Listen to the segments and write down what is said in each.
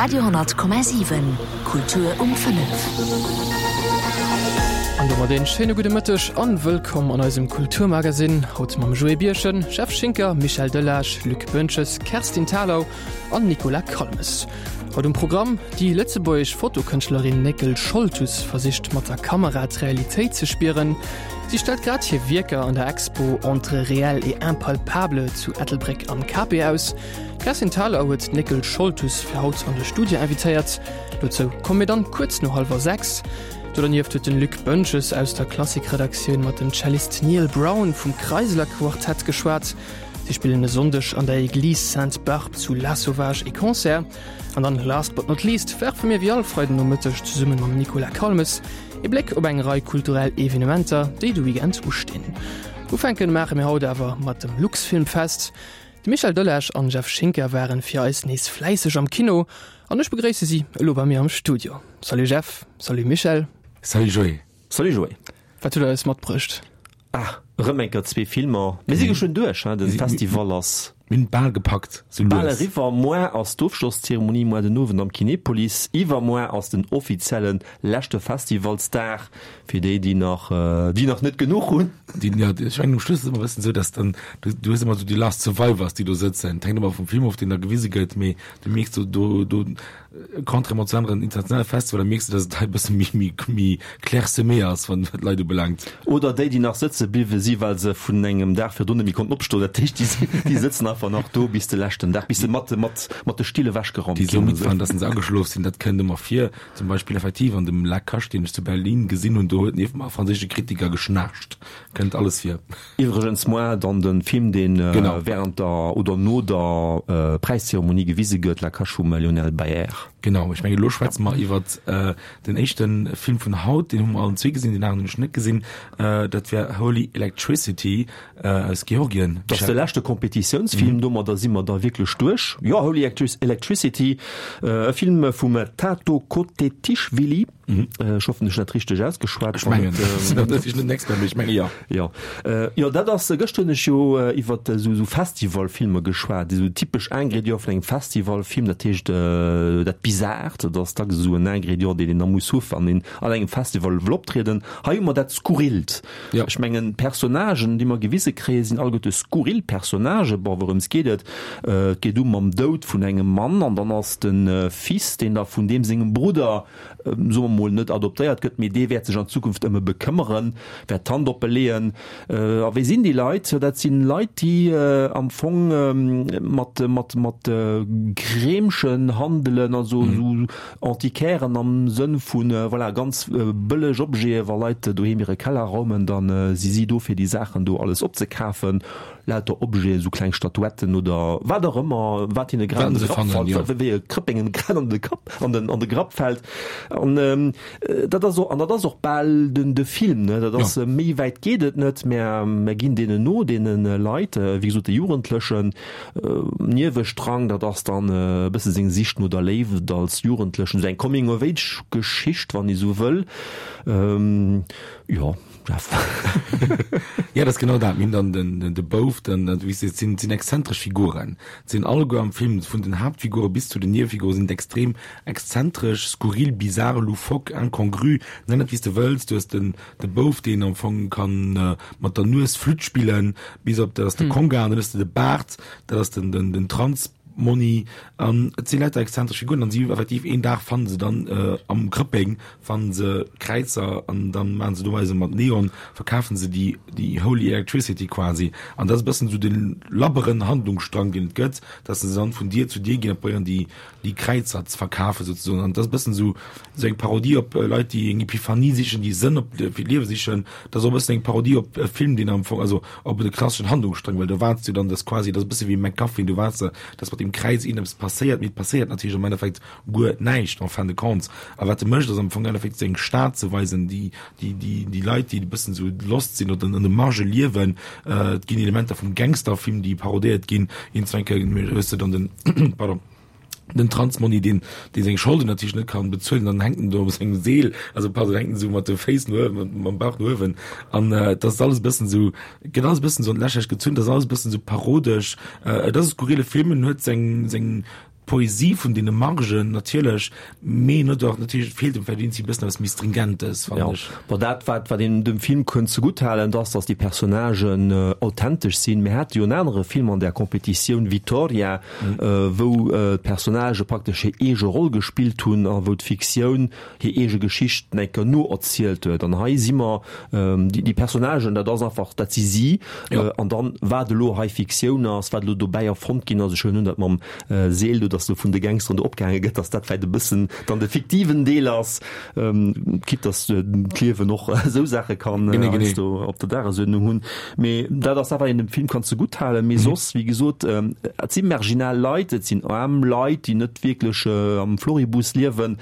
Radio,7 Kultur um 5. An domat een schéine gudde Mëtteg an wëllkomm an eisem Kulturmagasinn. Haut mam Joé Birchen, Jeff Schinker, Michel Delage, Luc Boentges, Kerstin Thalau an Nicolas Calmes. Haut um Programm, Déi lëtzebuergesch Fotokënschtlerin Néckel Scholtus versicht mat der Kamera d'Realitéit ze spieren. Si stellt grad hir Wierker an der Expo Entre réel et impalpable zu Ettelbréck am Cape aus. D'Kerstin Thalau huet d'Néckel Scholtus fir haut an de Studio invitéiert. Dozou komme mir dann kuerz no hallwer 6. Do dernieft huet den Luc Boentges aus der Klassik-Redaktioun mat dem Cellist Neil Brown vum Kreisler Quartett geschwat. Si spillen e Sonndeg an der Église Sainte-Barbe zu Lasauvage ee Concert. An dann, last but not least, werfe mir wéi all Freiden Nomëtteg zesumme mam Nicolas Calmes ee Bléck op eng Rei kulturell Evenementer, déi de Weekend ustinn. Ufänken maache mir haut awer mat dem Luxfilmfest. De Michel Delage an Jeff Schinker waren fir eis nees fläisseg am Kino an ech begréisse si elo bei mir am Studio. Salut Jeff, salut Michel. Salut Joé. Salut Joé. Wat hutt der eis matbruecht? Ah, erëm eng Kéier zwee Filmer. Mir si geschwënn duerch, hein, de Festival ass. Mir hunn et bal gepackt, sou lues. Bal eriwwer. Moar ass d'Ofschlosszeremonie, moar den Owend am Kinepolis. Iwwermoar ass den offizielle leschte Festivalsdag fir déi, déi nach, déi nach net genuch hunn. Déi, jo, ech mengen um Schluss ass et ëmmer e bëssen esou, dass dann, du, du hues ëmmer esou déi Last Survivors, déi do sëtzen. Et hänkt ëmmer vum Film of, deen da gewise gëtt, mee du mierks do, do, do, Contrairement zu aneren internationale Festivaler mierks de, dass et hei e bësse méi, méi, méi clairsemé ass, wat d'Leit ubelaangt. Oder déi, déi nach sëtze bliwwe si well se vun engem Dag virdrun net méi konnten opstoen. Dat heescht, déi si, déi sëtzen einfach nach do bis de leschten Dag, bis se mat, mat, mat de Still ewechgeraumt Déi esou ginn. midd waren, dass se ageschlof sinn, dat kënnt ëmmer vir. Zum Beispill effektiv an dem La Cache, deen ech zu Berlin gesinn hunn, do huet nieft mer e franséische Kritiker geschnaarcht. Kënnt alles vir. Iwwregens moar dann de Film, deen während der oder no der Präiszeremonie gewise gëtt, La Cache vum Lionel Bayer. Genau, ech mengen elo schwätze mer iwwert den éischte Film vun haut, deen hu mer allen zwee gesinn, deen aneren hunn ech net gesinn, dat wär Holy Electricity aus Georgien. Dat ass de leschte Kompetitiounsfilm, domadder si mer da wierklech duerch. Jo, Holy Electricity, e Film vum Tato Kotetishvili. Ech hoffen, ech hunn dat richteg ausgeschwat. Ech mengen, dat ass net Expert, mee ech menge jo. Jo, jo, dat ass, gëschter hunn ech jo iwwer esou esou Festivalfilmer geschwat, esou typesch Ingrédient vun engem Festivalfilm, dat heescht dat Bizart, dat ass dacks esou en Ingrédient, deen een da muss hu wann een an engem Festival wëll optrieden. Hei hu mer dat Skurrilt. Ech mengen, d'Personnagen, déi mer gewise kréien, sinn alleguerte skurril Personnagen. Bon, wourëms geet et? Et geet u mam Doud vun engem Mann an dann ass de Fils, deen da vun deem sengem Brudder, soe mer mol, net adoptéiert gëtt, mee dee wäert sech an Zukunft ëm e bekëmmeren, wäert d'Hand op e leeën. A wie sinn déi Leit? Jo, dat sinn Leit, déi am Fong mat, mat, mat Kreemchen handelen, also esou Antiquairen am Sënn vu, voilà, ganz bëlleg Objete. Wa Leit doheem hire Keller raumen, da si si do, fir déi Saachen do alles opzekafen. Lauter Objeten, esou kleng Statuetten oder wat och ëmmer, wat hinne grad an de Grapp fällt, wéi e Krëpp engem grad an de Kapp, an den, an de Grapp fällt. An dat ass och, an dat ass och bal den, de Film, ne? Dat ass, méi wäit geet et net. Mär, mär ginn deenen no, deene Leit, wéi gesot, de Jugendlechen. Niewestrang, dat ass dann e bësse seng Sicht no der Léift als Jugendlechen, esou eng Coming-of-age-Geschicht, wann ee sou wëll. Jo. Jeff. Ja, dat ass genau dat. Mir hunn dann den, den, de Bouf, den, den, wéi s de, et sinn, et sinn exzentresch Figuren. Et sinn alleguer am Film, vun den Haaptfigure bis zu den Niewefigure sinn et extrem exzentresch, skurril, bizarre, loufoque, incongru, nenn et wéi s de wëlls. Du hues den, de Bouf, deen am Fong kann mat der Nues Flütt spillen, bis op, dat ass de Konga, an dann hues de de Baart, dat ass den, den, den Trans. Monni, an et si lauter exzentresch Figuren an si effektiv een Dag fannen se dann am Krëppeng fannen se Kräizer an dann maachen se doweise mat Neon verkafen se déi déi Holy Electricity quasi an dat ass e bëssen esou de labberen Handlungsstrang deen et gëtt, dass se dann vun Dier zu Dier ginn a probéieren déi déi Kräizer ze verkafen souzesoen an dat ass e bëssen esou esou eng Parodie op Leit déi eng Epiphanie sichen, déi Sënn op fir d'Liewe sichen. Dat ass och e bëssen eng Parodie op e Film deen am Fong also op de klasseschen Handlungsstrang, well do waarts du dann, dass quasi, dat ass e bësse wéi MacGuffin, du waarts da, dass mat deem Kräiz iergendeppes passéiert, mee et passéiert natierlech am Endeffekt guer näischt en fin de compte. A wat e mécht, ass am Fong am Endeffekt seng Stad ze weisen, déi, déi, déi, déi Leit, déi e bëssen esou lost sinn oder an de Marge liewen. Et ginn Elementer vum Gangsterfilm, déi parodéiert ginn. Iergendwann eng Kéier hues de dann den, pardon, den Transmonni, deen, dee seng Scholden natierlech net kann bezuelen, dann hänkt en do op sengem Seel, also pardon, hänkt en esou mat de Féiss no uewen, mam Bauch no uewen. An äh, dat ass alles e bëssen esou, gëtt alles e bëssen esou an d'Lächerlecht gezunn, dat ass alles e bëssen esou parodesch. Äh, et ass e skurrile Film, en huet seng, seng. d'Poesie vun deene Margen natierlech, mee en huet och natierlech, et feelt em vläicht iergendwéi e bëssen eppes méi Stringentes, fannen ech. Bon, dat wat wat een dem Film kënnt zegutt halen, dat ass, datt déi Personnagen authentesch sinn. Mir hate jo en anere Film an där Competitioun, Vittoria, wou d'Personnagë praktesch hir eege Roll gespillt hunn a wou d'Fiktioun hir eege Geschicht nach eng Kéier noerzielt huet. An hei si mer, déi Personnagen, dat ass einfach, dat si si. An dann, wat elo hei Fiktioun ass, wat elo dobäi erfonnt ginn ass, ech huelen un, dat mam Seel do, datt do vun de Gangsteren do opgehaange gëtt, datt dat vläicht e bëssen dann de fiktiven Deel ass, quitte datt d'Liewen och esou Saache kann heiansdo op der Dagesuerdnung hunn. Mee dat ass dat, wat een dem Film kann zegutt halen. Mee soss, wéi gesot, et si marginal Leit, et sinn aarm Leit, déi net wierklech am Floribus liewen.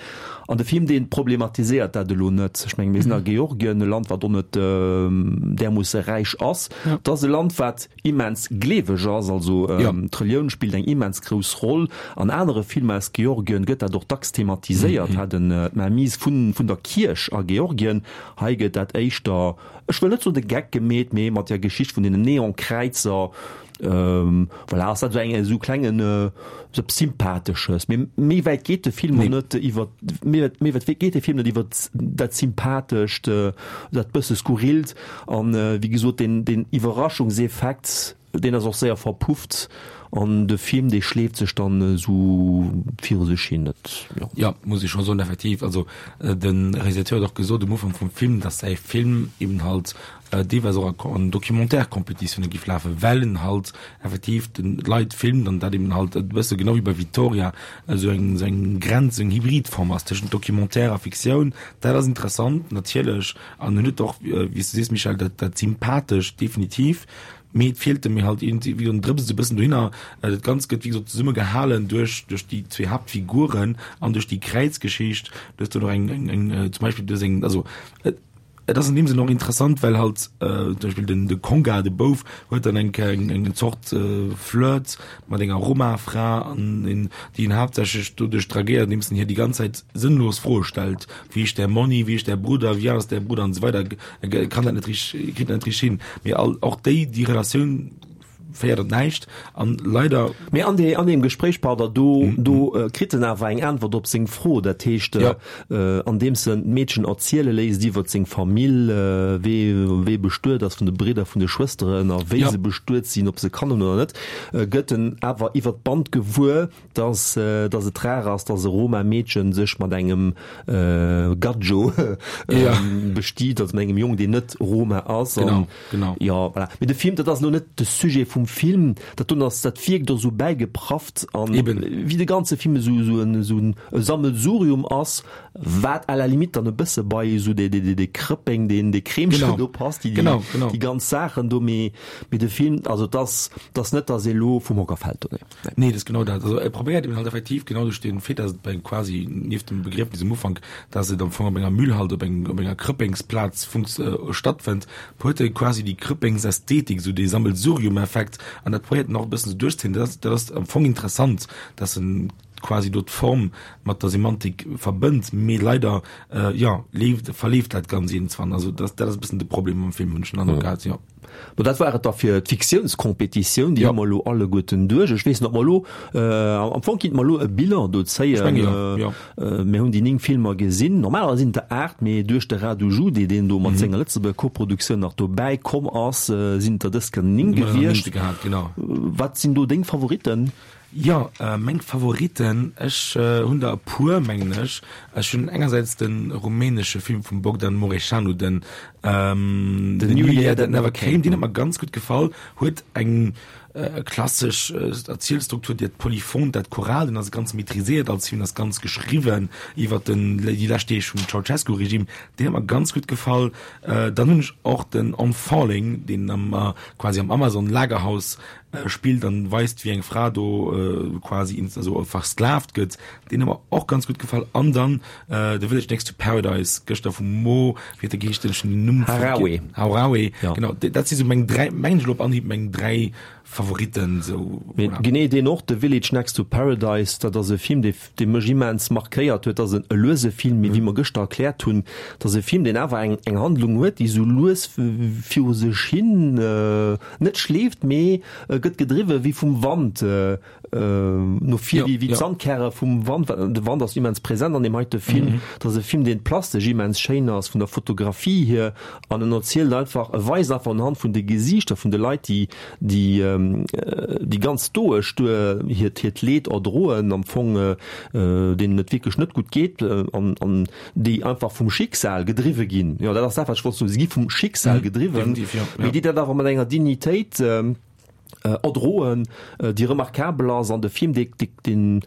An de Film, dee problematiséiert dat elo net. Ech menge mir sinn a Georgien, e Land, wat och net därmoosse räich ass. Et ass e Land, wat immens gleeweg ass, also d'Relioun spillt eng immens grouss Roll. An anere Filmer aus Georgien gëtt dat och dacks thematiséiert, hat en d'Mainmise vun der Kierch a Georgien. Hei gëtt dat éischter, ech wëll net soen de Geck gemeet, mee mat der Geschicht vun deenen Neonkräizer, Voilà, ass dat esou eng esou klengen esou eppes Sympathesches. Mee méi wäit geet de Film och net iwwer méi méi wäit geet de Film net iwwer dat Sympathescht, dat bësse Skurrilt. An wéi gesot, deen deen Iwwerraschungseffekt, deen ass och séier verpufft an de Film, dee schleeft sech dann esou viru sech hin. Dat, jo. Jo, muss ech scho soen, effektiv. Also de Realisateur huet och gesot um Ufank vum Film, datt säi Film eben halt deelweis och an Documentaire-Competitioune giff lafen, well en halt effektiv den d'Leit filmt an dat eben halt e bësse genau wéi bei Vittoria esou eng esou eng Grenz, esou eng Hybridform ass tëschent Documentaire a Fiktioun. Dat ass interessant natierlech an en huet och, wéi s du sees Michèle, dat dat Sympathescht definitiv, mee et feelte mir halt iergendwéi wéi en drëpst e bëssen dohinner. Dat Ganzt gëtt wéi gesot zesumme gehalen duerch duerch déi zwee Haaptfiguren an duerch déi Kräizgeschicht. Du hues do nach eng eng eng zum Beispill du hues eng also et Et ass an deem Sënn och interessant, well halt zum Beispill den de Konga, de Bouf, huet dann eng eng eng Zort Flirt mat enger Roma-Fra an en déi en haaptsächlech doduerch dragéiert, andeems en hir déi ganz Zäit sënnlos Froe stellt, Wie ist der Monni, wie ist der Bruder, wie alt ist der Bruder an esou weider. E kann dat net richteg, kritt dat net richteg hin. Mee all och déi déi Relatioun féiert op näischt an leider. Mee an de, an deem Gespréich, pardon, do, do kritt en awer eng Äntwert op seng Fro. Dat heescht, Ja. andeems en d'Meedchen erziele léisst iwwert seng Famill, wee, wee bestuet ass vun de Bridder, vun de Schwësteren a wéi Ja. se bestuet sinn, ob se Kanner hunn oder net, gëtt en awer iwwert d'Band gewuer, dass dass et rar ass, dass e Roma-Meedchen sech mat engem Gadjo bestiet, also mat engem Jong, deen net Roma ass. Genau, genau. Jo, voilà. Mee de Film, dat ass elo net de Sujet vum Film, dat doen ass, dat wierkt och esou bäigeprafft an wéi de ganze Film esou esou en esou en Sammelsurium ass, wat à la limite dann e bësse bei esou dee dee dee Krëppeng, deen dee Kreemchen do passt, déi déi ganz Saachen do. Mee mee de Film, also et ass, et ass net, dass ee elo vum Hocker fält do, nee. Nee, dat ass genau dat. Also e probéiert eben halt effektiv genau duerch den Fait, dass et bei quasi nieft dem Begriefnis um Ufank, dass et am Fong op enger Müll halt, op eng op enger Krëppengsplaz funks stattfënnt, huet e quasi déi Krëppengsästhetik, esou dee Sammelsurium-Effekt an dat probéiert en och e bëssen esou duerchzéien. Dat ass dat ass am Fong interessant, dass en quasi do d'Form mat der Semantik verbënnt, mee leider, jo, leeft verleeft dat Ganz iergendzwann. Also dat dat ass e bëssen de Problem mam Film, hunn ech den Androck gehat, jo. Bon, dat war et da fir d'Fiktiounscompetitioun. Déi hu mer elo alleguerten duerch. Ech weess net, ob mer elo, am Fong kinnt mer elo e Bilan do zéien. Ech menge jo, jo. Mir hunn déi 9 Filmer gesinn. Normalerweis sinn et der 8, mee duerch de Radu Jude, deen do mat senger Lëtzebuerger Koproduktioun nach dobäi komm ass, sinn et der dës Kéier 9 gewiescht. Wat sinn do deng Favoritten? Jo, meng Favoriten, ech hunn der e puer, mengen ech. Ech hunn engersäits de rumänesche Film vum Bogdan Mureșanu, den The New Year That Never Came, deen huet mer ganz gutt gefall, huet eng klassesch Erzielstruktur, dat Polyphont, dat Choral, deen ass ganz maîtriséiert als Film, ass ganz geschriwwen iwwer den déi lescht Deeg vum Ceaușescu-Regime, deen huet mer ganz gutt gefall. Dann hunn ech och den On Falling, deen am quasi am Amazon-Lagerhaus spillt an weist wéi eng Fra do quasi ins also versklavt gëtt, deen huet mer och ganz gutt gefall an dann The Village Next to Paradise gëschter vum Mo, wéi huet e geheescht, ech hunn den Numm Harawi. Harawi, genau, dat si sou meng 3, mengen ech elo op Anhieb meng 3. Favoritten esou. Mee genee deen och, The Village Next to Paradise, dat ass e Film, dee dee mech immens markéiert huet. Dat ass e luese Film, mee wéi mer gëschter erkläert hunn, dat ass e Film, deen awer eng eng Handlung huet, déi esou lues viru sech hin net schleeft, mee gëtt gedriwwe wéi vum Wand. No vir, wéi wéi d'Sandkäre vum Wand. De Wand ass immens present an deem heite Film. Dat ass e Film, deen plastesch immens schéin ass, vun der Fotografie hier, an en erzielt einfach, e weist einfach unhand vun de Gesiichter vun de Leit, déi déi déi ganz stoesch duer hiert hiert Leed erdroen, am Fong deenen et wierklech net gutt geet an an déi einfach vum Schicksal gedriwwe ginn. Jo, dat ass dat, wat ech wollt soen, si gi vum Schicksal gedriwwen, mee déi dat awer mat enger Dignitéit erdroen, déi remarkabel ass an de Film, dee, deen,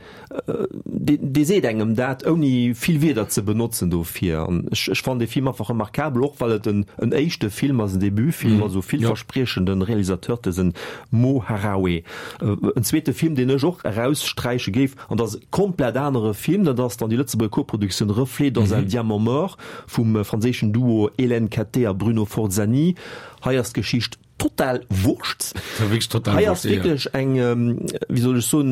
dee seet engem dat, ouni vill Wierder ze benotzen dofir. An ech, ech fannen dee Film einfach remarkabel, och well et en, en éischte Film ass, en Debutfilm, also villverspriechende Realisateur, dësen Mo Harawe. En zweete Film, deen ech och eraussträiche géif, an dat ass e komplett anere Film, dat ass dann déi Lëtzebuerger Koproduktioun Reflets dans un diamant mort vum franséischen Duo Hélène Cattet a Bruno Forzani. Hei ass d'Geschicht Total Wurscht. Hei ass wierklech eng, wéi soll ech soen,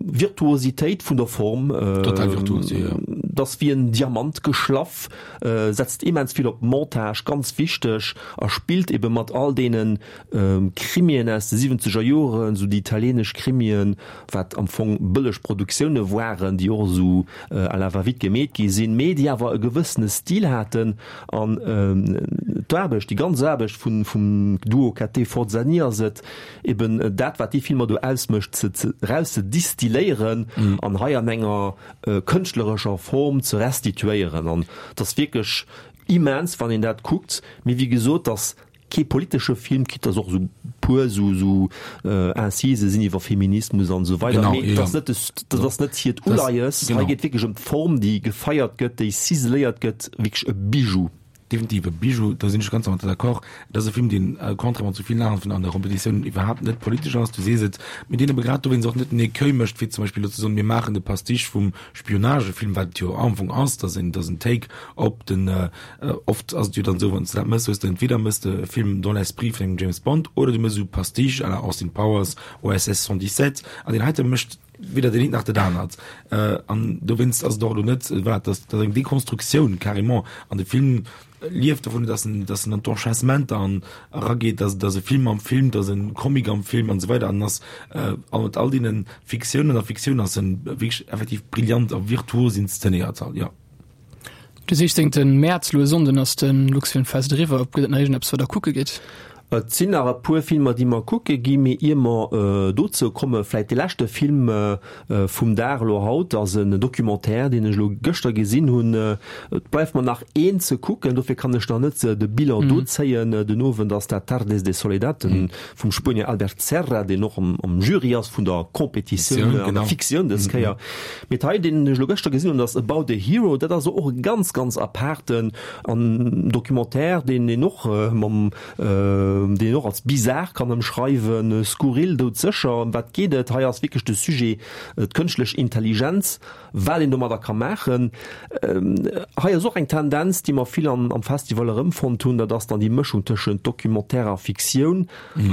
Virtuositéit vun der Form. Total virtuos, jo, jo. Dat ass wéi en Diamant geschlaff, setzt immens vill op Montage, ganz wichteg, a spillt ebe mat all deene Krimien aus de siwwenzeger Joren, esou déi italienesch Krimien, wat am Fong bëlleg Produktioune waren, déi och esou à la va-vite gemeet gi sinn, mee déi awer e gewëssene Stil haten. An d'Aarbecht, déi ganz Aarbecht vum Duo Cattet-Forzani ass et eben dat, wat déi Filmer do ausmécht, ze eraus ze distilléieren an hei an enger kënschtlerescher Form ze restituéieren. An et ass wierklech immens, wann een dat kuckt. Mee wéi gesot, et ass Kee politesche Film, quitte dass och esou puer esou esou Incise sinn iwwer Feminismus an esou weider, mee dat ass net de, dat ass net hiert Uleies. Hei geet wierklech ëm d'Form, déi gefeiert gëtt, déi ciseléiert gëtt, wierklech e Bijou. Definitiv e Bijou, do sinn ech ganz mat der d'accord. Et ass e Film, deen, contrairement zu villen aneren an der Competitioun, iwwerhaapt net politesch ass, du sees et, mee deen ebe grad dowéinst och net den Écueil mécht, fir zum Beispill elo ze soen, mir maachen de Pastiche vum Spionagefilm, wat et jo am Fong ass, dass en, dass en Take op den, Oft ass et jo dann esou, wann s de dat mëss, hues de entweder mëss de e Film dans l'esprit vun engem James Bond oder du mëss esou Pastiche à la Austin Powers, OSS 117 an deen heite mécht weder deen eent nach dat anert. An dowéinst ass et och elo net, voilà, dat ass eng Dekonstruktioun carrément an de Film lieft dovun, dass en, dass en an d'Enchaînementer an erageet, dass et ass e Film am Film, dass e Comic am Film an esou weider an ass a mat all deene Fiktiounen a Fiktioun ass en wierklech effektiv brillant a virtuos inszenéiert, jo. De 16 Mäerz, elo e Sonnden, ass de Luxfilmfest eriwwer. Gëtt et nach iergendeppes, wat der kucke gitt? Et sinn nach e puer Filmer, déi mer kucke ginn, mee ier mer dozou kommen, vläicht de leschte Film vum Dag elo haut ass en Documentaire, deen ech elo gëschter gesinn hunn. Et bleift mer nach een ze kucken, dofir kann ech nach net de Bilan do zéien. Den Owend ass dat Tardes de Soledad vum Spuenier Albert Serra, deen och am Jury ass vun der Competitioun an der Fiktioun dës Kéier. Mee hei, deen ech elo gëschter gesinn hunn, ass About a Hero. Dat ass och e ganz, ganz apaarten an Documentaire, deen een och mam, deen een och als bizar kann ëmschreiwen, skurril, doudsécher. Ëm wat geet et? Hei ass wierklech de Sujet d'kënschtlech Intelligenz, wat een domadder ka maachen. Hei ass och eng Tendenz, déi mer vill am Festival erëmfonnt hunn, dat ass dann déi Mëschung tëschent Documentaire a Fiktioun.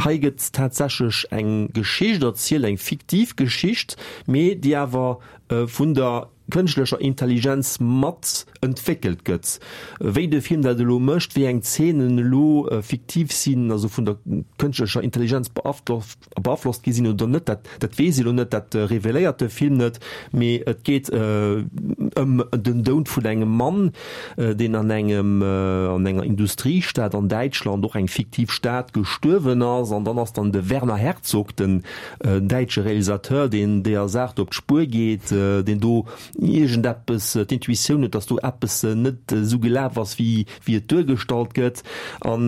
Hei gëtt tatsächlech eng Geschicht erzielt, eng fiktiv Geschicht, mee déi awer vun der kënschtlecher Intelligenz mat entwéckelt gëtt. Wéi de Film dat elo mécht, wéi eng Zeenen elo fiktiv sinn, also vun der kënschtlecher Intelligenz beaflosst gi sinn oder net, dat dat weess ee lo net, dat reveléiert de Film net, mee et geet ëm den Doud vun engem Mann, deen an engem an enger Industriestad an Däitschland, och eng fiktiv Stad, gestuerwen ass. An dann ass dann de Werner Herzog, den däitsche Realisateur, deen deeër Saach do op d'Spuer geet, deen do iergendeppes, d'Intuitioun huet, datt do eppes net esou gelaf ass, wéi et duergestallt gëtt. An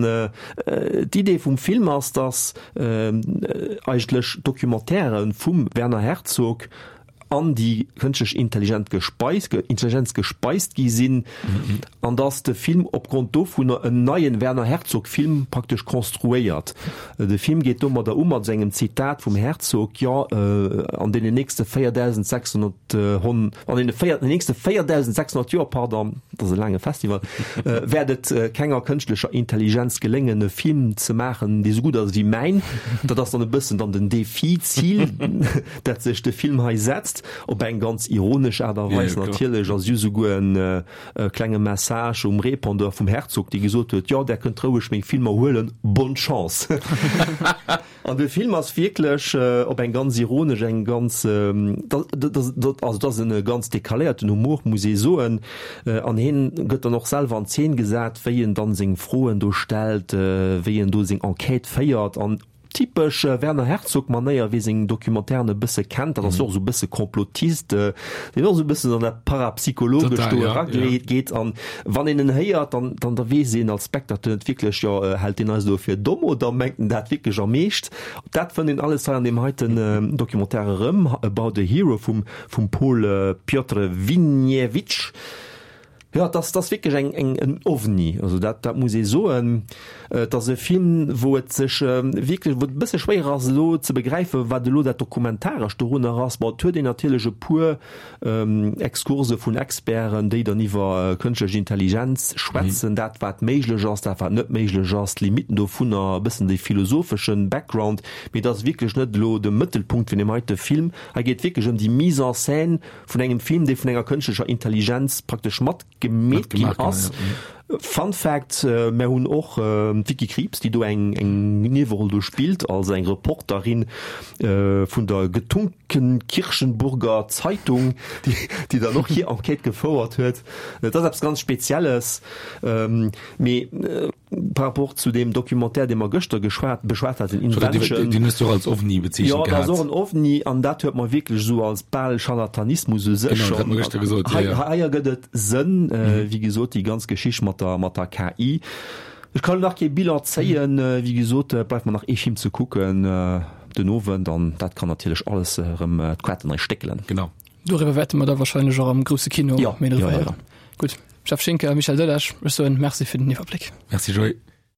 d'Idee vum Film ass, datt eigentlech Documentairë vum Werner Herzog an déi kënschtlech Intelligent gespeist, Intelligenz gespeist gi sinn an datt de Film opgrond dovunner en neien Werner Herzog Film praktesch konstruéiert. De Film geet domadder u mat engem Zitat vum Herzog, Jo, an deenen nächste 4.600 hon, an deene véier, den nächste 4.600 Joer, pardon. Dat ass e laange Festival. Wäert et kenger kënschtlecher Intelligenz geléngen, e Film ze maachen, dee sou gutt ass wéi mäin? Dat ass dann e bëssen dann den Défi, d'Zil, dat sech de Film hei setzt. Op eng ganz ironesch Aart a Weis natierlech. A si hu souguer e klenge Message um Répondeur vum Herzog, dee gesot huet, Jo, där kënnt roueg meng Filmer huelen, bonne chance! An de Film ass wierklech op eng ganz ironesch, eng ganz, also et ass e ganz decaléierten Humor, muss ee soen. An hien gëtt dann och selwer an Zeen gesat, wéi en dann seng Froen do stellt, wéi en do seng Enquête féiert. An typesch Werner Herzog-Manéier, wie seng Documentairen e bësse kennt, dat ass jo och esou e bësse Complotist, deen och esou e bëssen an dat Parapsychologescht do erageet. An Wann een en héiert, dann, dann da weess een als Spectateur net wierklech, jo, hält deen eis elo fir domm oder mengt en dat wierklech am Eescht? Dat fënnt een alles hei an deem heiten Documentaire erëm, About a Hero vum, vum Pol Piotr Winiewicz. Jo, et ass, et ass wierklech eng, eng, en Ovni, also dat, dat muss ee soen. Et ass e Film, wou et sech wierklech, wou et e bësse schwéier ass elo ze begräifen, wat elo dat Dokumentarescht dorunner ass. Bon, et huet een natierlech e puer Exkurse vun Experten, déi dann iwwer kënschtlech Intelligenz schwätzen, dat wat méiglech ass, dat wat net méiglech ass, d'Limitten dovunner, e bëssen dee philosopheschen Background. Mee et ass wierklech net elo de Mëttelpunkt vun deem heite Film. Hei geet et wierklech ëm déi Mise en scène vun engem Film, dee vun enger kënschtlecher Intelligenz praktesch mat gemeet ginn ass. Fun Fact, Mär hunn och d'Vicky Krieps, déi do eng Nieweroll do spillt, als eng Reporterin vun der Getunkenkirchenburger Zeitung, déi dann och hir Enquête gefouert huet. Et ass eppes ganz Spezielles, mee Par rapport zu deem Documentaire, dee mer gëschter geschwat, beschwat haten, Invention. Deen hues du och als Ovni bezeechent gehat. Jo, dat ass och en Ovni an dat huet mer wierklech esou als bal Scharlatanismus u sech schonn. Genau, dat hat mer gëschter gesot, jo, jo. Hei, hei ergëtt et Sënn, wéi gesot, déi ganz Geschicht mat der, mat der KI. Ech kann nach kee Bilan zéien, wéi gesot, et bleift mer nach ee Film ze kucken den Owend an dat kann natierlech alles erëm d'Quaten nei stéckelen. Genau. Doriwwer wäerte mer da wahrscheinlech och am grousse Kino méi driwwer héieren. Gutt. Jeff Schinker, Michel Delage, ech soen Merci fir den Iwwerbléck. Merci Joé.